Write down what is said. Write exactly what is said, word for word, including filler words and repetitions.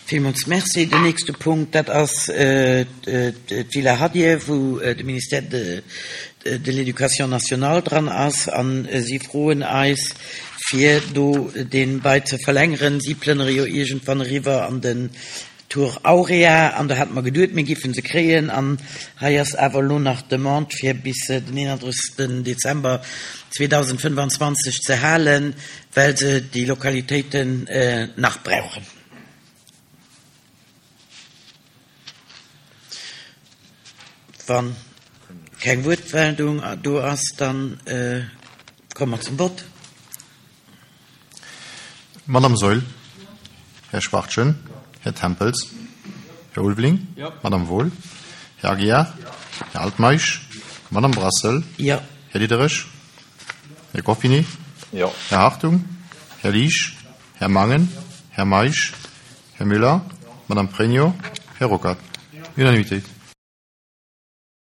Villmools Merci. Den nächste Punkt, dat ass d'Villa Hadier, wou de Ministère de, de l'Éducation nationale dran ass. An si froen eis, fir do dee Bail ze verlängeren. Si plënnere jo iergendwann eriwwer an den Tour Aurea an do hate mer geduet, mir géife se kréien. An hei ass awer elo nach d'Demande, fir bis den eenandrëssegsten Dezember zweedausendfënnfanzwanzeg ze halen, well se déi Lokalitéiten nach brauchen. Wa keng Wuertmeldung do ass, da komme mer zum Vott. Madame Saeul. Här Schwachtgen. Här Tempels. Här Ulveling. Madame Wohl. Här Aguiar. Här Altmeisch. Madame Brassel. Jo. Här Diderich. Här Goffinet. Jo. Här Hartung. Här Liesch. Här Mangen. Här Meisch. Här Müller. Madame Pregno. Här Ruckert. Unanimitéit.